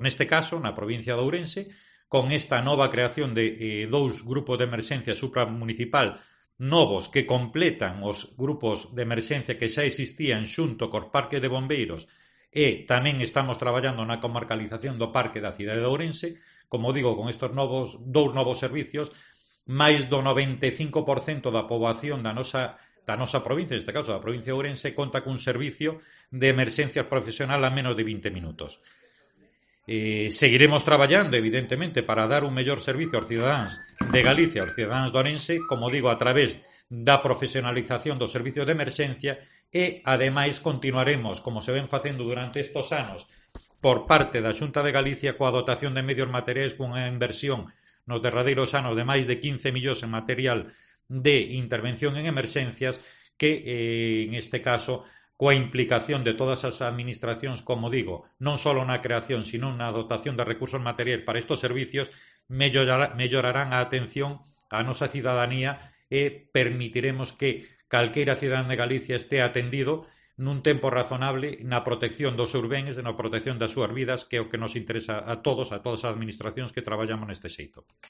Neste caso, na provincia de Ourense, con esta nova creación de 2 grupos de emerxencia supramunicipal novos que completan os grupos de emerxencia que xa existían xunto cos parques de bombeiros, e tamén estamos traballando na comarcalización do parque da cidade de Ourense. Como digo, con estes dous novos servicios, máis do 95% da poboación da nosa provincia, neste caso da provincia de Ourense, conta cun servicio de emerxencias profesional a menos de 20 minutos. Seguiremos traballando, evidentemente, para dar un mellor servicio aos cidadáns de Galicia, aos cidadáns de Ourense, como digo, a través da profesionalización dos servicios de emerxencia, e, ademais, continuaremos, como se ven facendo durante estes anos, por parte da Xunta de Galicia, coa dotación de medios materiais, cunha inversión nos derradeiros anos de máis de 15 millóns en material de intervención en emerxencias, que, en este caso, coa implicación de todas as administracións, como digo, non só na creación, sino na dotación de recursos materiais para estes servicios, mellorarán a atención á nosa cidadanía e permitiremos que calqueira cidadán de Galicia este atendido nun tempo razonable na protección dos seus bens e na protección das súas vidas, que é o que nos interesa a todas as administracións que traballamos neste xeito.